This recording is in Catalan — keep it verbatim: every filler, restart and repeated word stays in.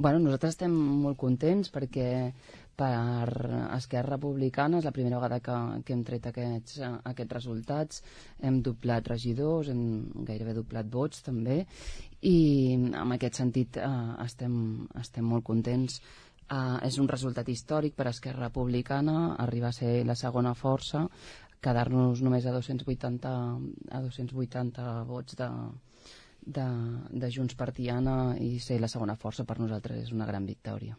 Bueno, nosaltres estem molt contents perquè per Esquerra Republicana és la primera vegada que, que hem tret aquests, aquests resultats. Hem doblat regidors, hem gairebé doblat vots també, i en aquest sentit eh, estem, estem molt contents. Eh, és un resultat històric per Esquerra Republicana, arribar a ser la segona força, quedar-nos només a dos-cents vuitanta, a dos-cents vuitanta vots de, de, de Junts per Tiana i ser la segona força per nosaltres és una gran victòria.